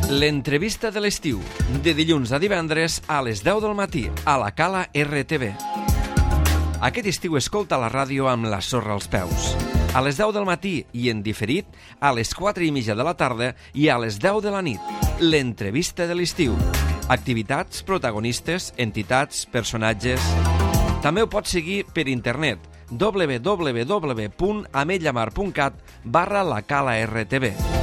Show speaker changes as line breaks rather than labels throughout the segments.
L'entrevista de l'estiu, de dilluns a divendres a les 10 del matí, a la Cala RTV. Aquest estiu escolta la ràdio amb la sorra als peus. A les 10 del matí i en diferit, a les 4:30 de la tarda i a les 10 de la nit. L'entrevista de l'estiu. Activitats, protagonistes, entitats, personatges... També ho pots seguir per internet www.ametlllamar.cat/lacala-rtv.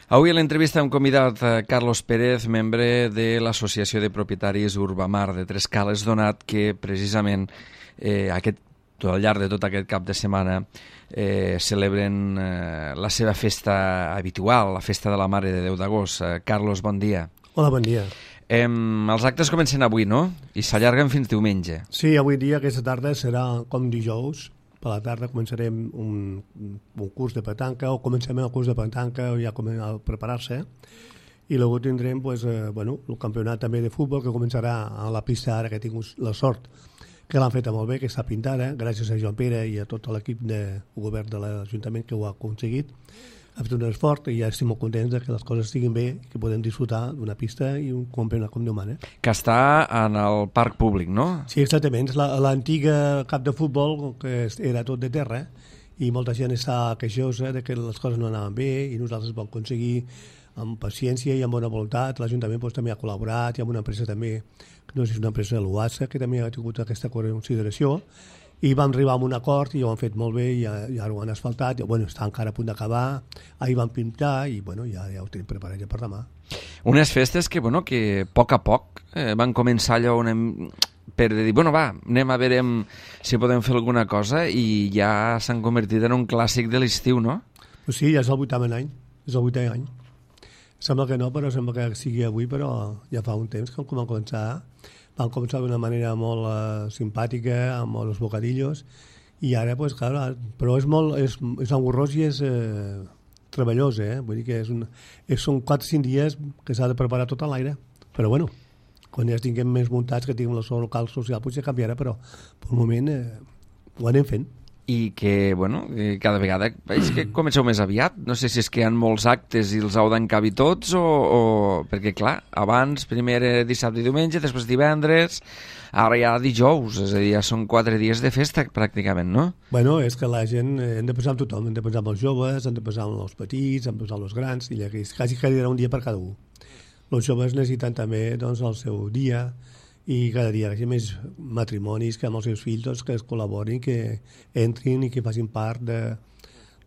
Avui a l'entrevista hem convidat Carlos Pérez, membre de l'Associació de Propietaris Urbamar de Trescales, donat que precisament al llarg de tot aquest cap de setmana celebren la seva festa habitual, la festa de la Mare de Déu d'Agost. Carlos, bon dia.
Hola, bon dia.
Els actes comencen avui, no? I s'allarguen fins diumenge.
Sí, avui dia, aquesta tarda, serà com dijous. Per la tarda començarem un curs de petanca, o comencem el curs de petanca, ja a preparar-se, i després tindrem el campionat també de futbol, que començarà a la pista ara, que tinc la sort que l'han feta molt bé, que està pintada, gràcies a Joan Pere i a tot l'equip de govern de l'Ajuntament que ho ha aconseguit. Ha fet un esforç i ja estic molt contents que les coses estiguin bé, que podem disfrutar d'una pista i un campionat com Déu mana.
Que està en el parc públic, no?
Sí, exactament. L'antiga camp de futbol, que era tot de terra, i molta gent està queixosa de que les coses no anaven bé, i nosaltres vam aconseguir amb paciència i amb bona voluntat. L'Ajuntament també ha col·laborat, i amb una empresa també, no sé si és una empresa de l'UASA, que també ha tingut aquesta consideració, i vam arribar a un acord i ho han fet molt bé i ara ho han asfaltat, està encara a punt d'acabar, ahir vam pintar i ja ho tenim preparat ja per demà.
Unes festes que a poc a poc van començar allò per dir, anem a veure si podem fer alguna cosa, i ja s'han convertit en un clàssic de l'estiu, no?
Pues sí, ja és el 8è any, Sembla que no, però sembla que sigui avui, però ja fa un temps que vam començar d'una manera molt simpàtica, amb els bocadillos, i ara, però és engorrós i és treballós, vull dir que són 4 o 5 dies que s'ha de preparar tot a l'aire, però quan ja tinguem més muntats, que tinguem el seu local social, potser canviarà, però per un moment ho anem fent.
I que, cada vegada veig que comenceu més aviat. No sé si és que hi ha molts actes i els heu d'encabir tots perquè, clar, abans primer era dissabte i diumenge, després divendres, ara ja dijous, és a dir, ja són 4 dies de festa pràcticament, no?
És que la gent, hem de pensar en tothom, hem de pensar en els joves, hem de pensar en els petits, hem de pensar en els grans, i quasi que hi haurà un dia per cada un. Els joves necessiten també el seu dia, i cada dia hi ha més matrimonis que amb els seus fills que es col·laborin, que entrin i que facin part de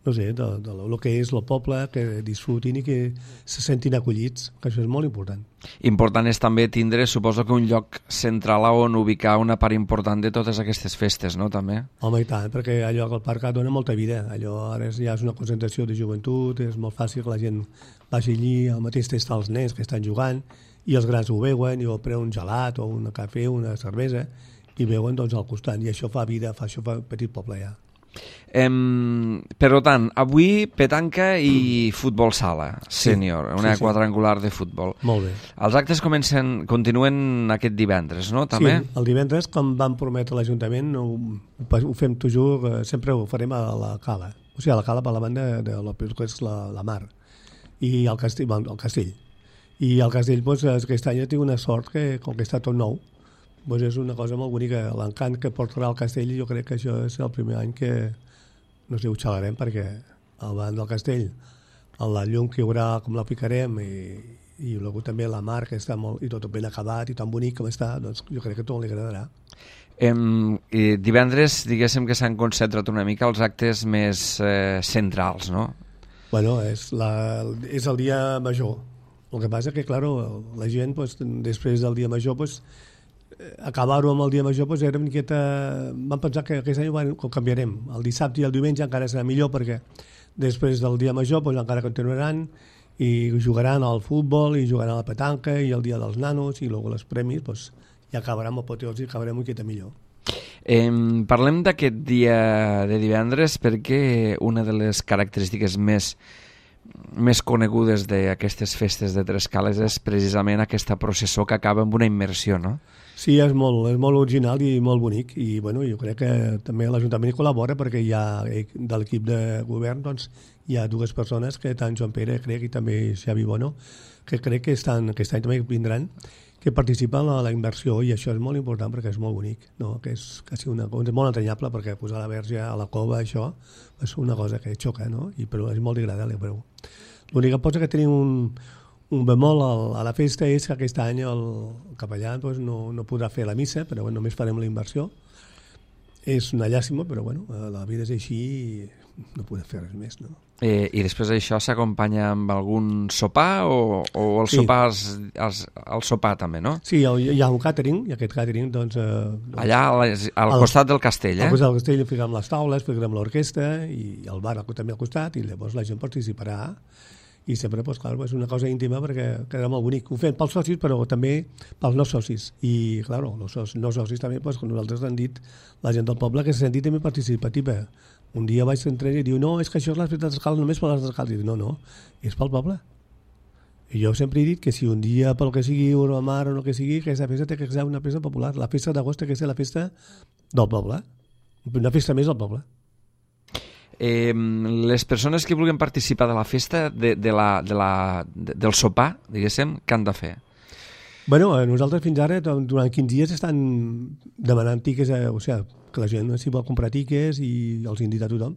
lo que és el poble, que disfrutin i que se sentin acollits, que això és molt important.
Important és també tindre, suposo que un lloc central on ubicar una part important de totes aquestes festes, no, també?
Home, i tant, perquè allò que el parc dona molta vida. Allò ara ja és una concentració de joventut, és molt fàcil que la gent vagi allí, al mateix temps els nens que estan jugant, i els grans ho veuen, i ho prenen un gelat o un cafè, una cervesa, i veuen al costat, i això fa vida, això fa petit poble ja.
Per tant, avui petanca i futbol sala sènior, una quadrangular de futbol.
Molt bé.
Els actes continuen aquest divendres, no? També?
Sí, el divendres, com vam prometre a l'Ajuntament, ho fem sempre ho farem a la Cala, o sigui, a la Cala per la banda de que és la mar, i el castell. I el castell, aquest any tinc una sort que, com que està tot nou, és una cosa molt bonica. L'encant que portarà el castell, jo crec que això és el primer any que, no sé, ho xalarem, perquè al davant del castell, la llum que hi haurà, com la picarem, i també la mar, que està molt, i tot ben acabat i tan bonic com està, doncs jo crec que tot li agradarà.
Divendres, diguéssim que s'han concentrat una mica els actes més centrals, no?
És el dia major. El que passa que, clar, la gent, després del dia major, acabar-ho amb el dia major, era una miqueta... Vam pensar que aquest any ho canviarem. El dissabte i el diumenge encara serà millor, perquè després del dia major encara continuaran i jugaran al futbol, i jugaran a la petanca, i el dia dels nanos, i els premis, ja acabarà amb apoteosi i acabarem una miqueta millor.
Parlem d'aquest dia de divendres perquè una de les característiques més més conegudes d'aquestes festes de Tres Cales és precisament aquesta processó que acaba amb una immersió, no?
Sí, és molt original i molt bonic, i bueno, jo crec que també l'Ajuntament hi col·labora, perquè hi ha de l'equip de govern, doncs, hi ha dues persones, que tant Joan Pere, crec, i també Xavi Bono, que crec que aquest any també vindran, que participen en la inversió, i això és molt important perquè és molt bonic, no? Que és quasi una cosa molt entranyable, perquè posar la verge a la cova, això, és una cosa que xoca, no? Però és molt agradable, però l'única cosa que tenim un bemol a la festa és que aquest any el capellà doncs, no podrà fer la missa, però bueno, només farem la inversió. És una llàstima, però bueno, la vida és així i no podem fer res més, no?
I després això s'acompanya amb algun sopar o el
Sí.
sopar el sopar també, no?
Sí, hi ha un càtering, i aquest càtering, doncs...
Allà al costat del castell,
Al
eh?
costat del castell ficarem les taules, ficarem l'orquestra i el bar també al costat, i llavors la gent participarà. I sempre, doncs, clar, és una cosa íntima perquè quedarà molt bonic. Ho fem pels socis, però també pels no socis. I, clar, els no socis també, doncs, com nosaltres han dit, la gent del poble, que se senti també participativa. Un dia vaig entrar i diu, no, és que això és la festa d'escales només per les d'escales. I dic, no, és pel poble. I jo sempre he dit que si un dia, pel que sigui, una mar o el que sigui, aquesta festa té que ser una festa popular. La festa d'agost té que ser la festa del poble. Una festa més del poble.
Les persones que vulguin participar de la festa, del sopar, diguéssim, què han de fer?
Bueno, nosaltres fins ara, durant 15 dies, estan demanant tiques, o sigui, que la gent s'hi vol comprar tiques i els invita a tothom.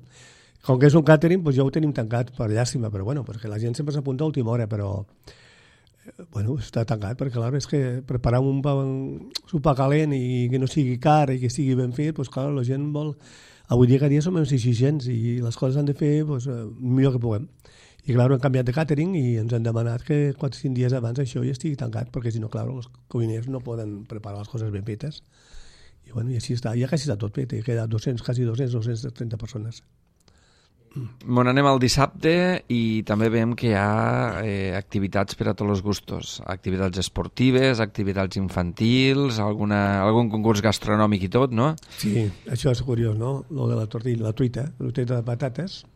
Com que és un càtering, doncs ja ho tenim tancat per llàstima, però bueno, perquè la gent sempre s'apunta a última hora, però bueno, està tancat, perquè clar, és que preparar un sopar calent i que no sigui car i que estigui ben fet, doncs clar, la gent vol... Avui dia cada dia som més exigents i les coses han de fer doncs, millor que puguem. I clar, hem canviat de càtering i ens han demanat que 4 o 5 dies abans això ja estigui tancat, perquè si no, clar, els cuiners no poden preparar les coses ben fetes. I bueno, i així està, ja quasi està tot fet, queda 230 persones.
Bon, anem al dissabte i també veiem que hi ha activitats per a tots els gustos, activitats esportives, activitats infantils, algun concurs gastronòmic i tot, no?
Sí, això és curiós, no? Lo de la tortilla, la truita de patates,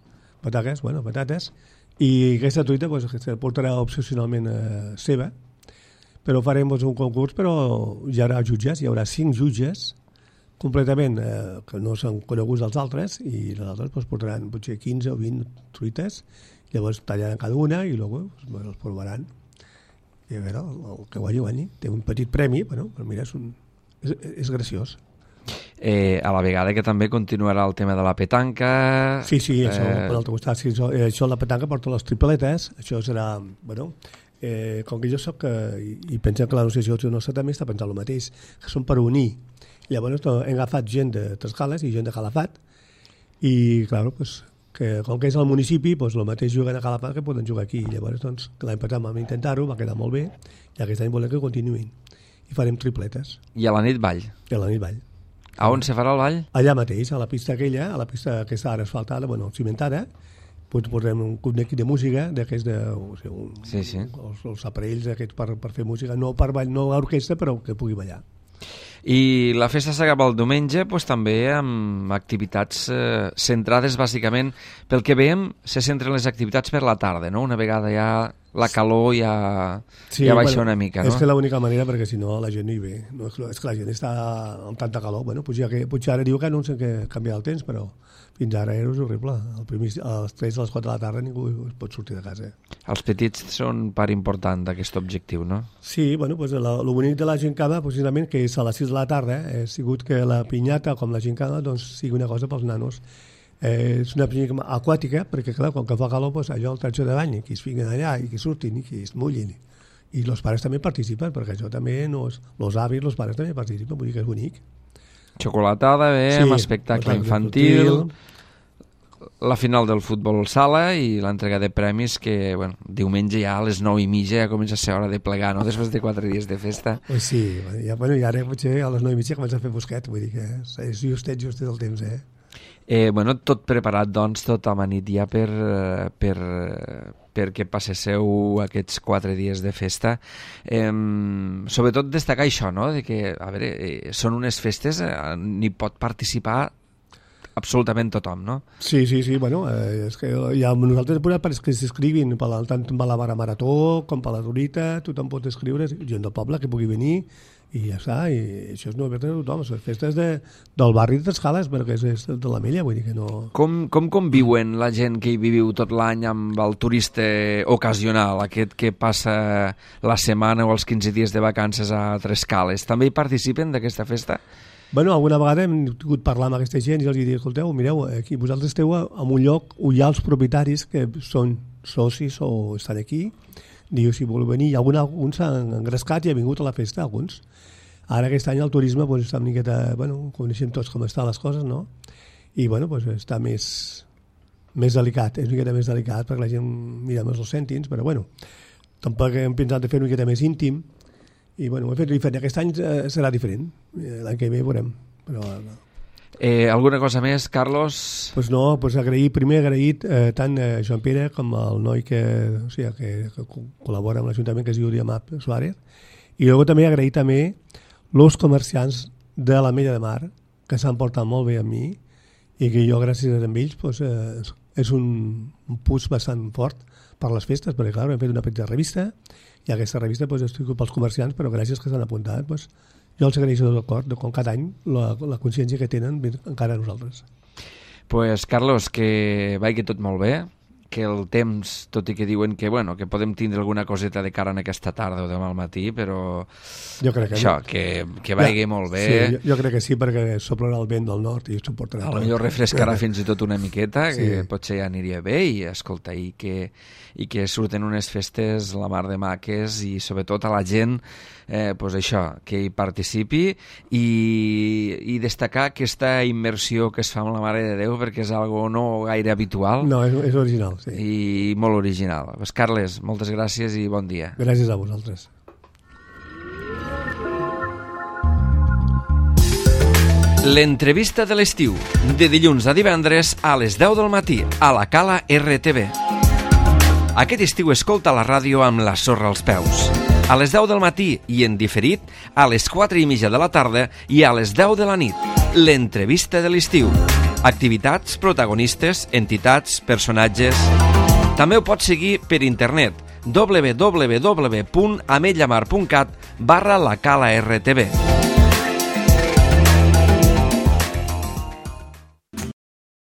i aquesta truita pues, se portarà opcionalment seva, però farem un concurs, però hi haurà jutges, hi haurà 5 jutges, completament, que no són coneguts dels altres, i els altres doncs, portaran potser 15 o 20 truites, llavors tallaran cada una i després els provaran. I a veure, el que guanyi. Té un petit premi, bueno, però mira, és graciós.
A la vegada que també continuarà el tema de la petanca...
Sí, això, per l'altre costat, sí, això la petanca porta les tripletes, això serà, bueno... com que jo soc, i pensem que l'associació nostra també està pensant el mateix, que són per unir. Llavors hem agafat gent de Trescales i gent de Calafat i, clar, pues, que com que és al municipi, pues, el mateix juguen a Calafat que poden jugar aquí. Llavors, doncs, l'any passat vam intentar-ho, va quedar molt bé, i aquest any volem que continuïn. I farem tripletes.
I a la nit ball?
I a la nit ball.
A on se farà el ball?
Allà mateix, a la pista aquella, a la pista que està ara asfaltada, bueno, cimentada, doncs posem un club de música, d'aquests
sí.
Els aparells aquests per fer música, no per ball, no orquestra, però que pugui ballar.
I la festa s'acaba el diumenge doncs, també amb activitats centrades bàsicament, pel que veiem, se centren les activitats per la tarda, no? Una vegada ja la calor ja baixa una mica, no?
És que l'única manera, perquè si no la gent no hi ve. No, és que la gent està amb tanta calor. Bueno, potser ara diu que no sé què canviar el temps, però fins ara era horrible. A les 3 a les 4 de la tarda ningú es pot sortir de casa.
Els petits són part important d'aquest objectiu, no?
Sí, bueno, pues el bonic de la gincana, precisament, que és a les 6 de la tarda, ha sigut que la pinyata, com la gincana, doncs, sigui una cosa pels nanos. És una pinyata aquàtica, perquè, clar, quan fa calor, pues, allò el tratge de bany, que es fiquen allà i que surtin i que es mullin. I els pares també participen, perquè això també els avis, els pares també participen, vull dir que és bonic.
Xocolatada, amb espectacle infantil, la final del futbol sala i l'entrega de premis que, bueno, diumenge ja a les 9:30 ja comença a ser hora de plegar, no? Després de 4 dies de festa.
Sí, i ara potser a les 9:30 comença a fer fosquet, vull dir que és justet el temps,
Bueno, tot preparat, doncs, tot amanit ja perquè passeu aquests 4 dies de festa. Sobretot destacar això, no?, de que, a veure, són unes festes, n'hi pot participar absolutament tothom, no?
Sí, bueno, és que ja nosaltres hem posat que s'escrivin tant per la marató com per la Rurita, tothom pot escriure, gent del poble que pugui venir, i ja està, i això és novetat de tothom, les festes del barri de Escales, perquè és de la Mella, vull dir que no...
Com conviuen la gent que hi viviu tot l'any amb el turista ocasional, aquest que passa la setmana o els 15 dies de vacances a Trescales? També hi participen d'aquesta festa?
Bueno, alguna vegada hem tingut parlar amb aquesta gent i els dic, escolteu, mireu, aquí vosaltres esteu en un lloc on hi ha els propietaris que són socis o estan aquí, diu, si voleu venir, i alguns s'han engrescat i ha vingut a la festa, alguns. Ara aquest any el turisme doncs, està una miqueta, bueno, coneixem tots com estan les coses, no? I bueno, doncs, està més delicat, és una miqueta més delicat perquè la gent mira més els cèntims, però bueno, tampoc hem pensat de fer una miqueta més íntim i bueno, ho hem fet diferent. Aquest any serà diferent, l'any que ve veurem, però...
Alguna cosa més, Carlos?
Pues no, pues agraït tant Joan Pere com el noi que col·labora amb l'Ajuntament, que es diu Diamat Suárez, i també agrair també els comerciants de la Mella de Mar, que s'han portat molt bé amb mi i que jo, gràcies a ells, pues, és un push bastant fort per les festes, perquè clar, hem fet una petita revista i aquesta revista pues, estic pels comerciants, però gràcies que s'han apuntat, pues, jo els agraeixo d'acord, com cada any la consciència que tenen encara a nosaltres.
Pues, Carlos, que vagi tot molt bé, que el temps, tot i que diuen que, bueno, que podem tindre alguna coseta de cara en aquesta tarda o demà al matí, però
jo crec que
això, que vagi molt bé.
Sí, jo crec que sí, perquè soplarà el vent del nord i suportarà.
Potser refrescarà fins i tot una miqueta, que potser ja aniria bé, i escolta, i que surten unes festes la mar de maques i sobretot a la gent pues això, que hi participi i destacar aquesta immersió que es fa amb la Mare de Déu, perquè és algo no gaire habitual.
No, és original, sí.
I molt original. Pues, Carles, moltes gràcies i bon dia.
Gràcies a vosaltres.
L'entrevista de l'estiu, de dilluns a divendres a les 10 del matí, a la Cala RTV. Aquest estiu escolta la ràdio amb la sorra als peus. A les 10 del matí i en diferit a les 4:30 de la tarda i a les 10 de la nit. L'entrevista de l'estiu. Activitats, protagonistes, entitats, personatges... També ho pots seguir per internet www.ametllamar.cat/la Cala RTV.